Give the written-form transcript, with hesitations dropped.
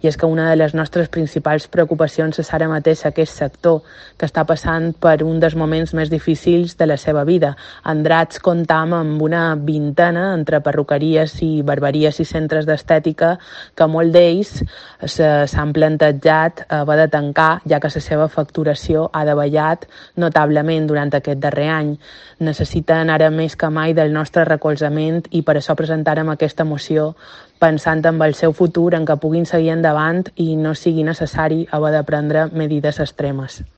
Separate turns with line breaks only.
I és que una de les nostres principals preocupacions és ara mateix aquest sector que està passant per un dels moments més difícils de la seva vida. A Andratx comptam amb una vintena entre perruqueries i barberies i centres d'estètica que molt d'ells s'han plantejat haver de tancar, ja que la seva facturació ha davallat notablement durant aquest darrer any. Necessiten ara més que mai del nostre recolzament i per això presentarem aquesta moció pensant en el seu futur, en què puguin seguir endavant i no sigui necessari haver de prendre medides extremes.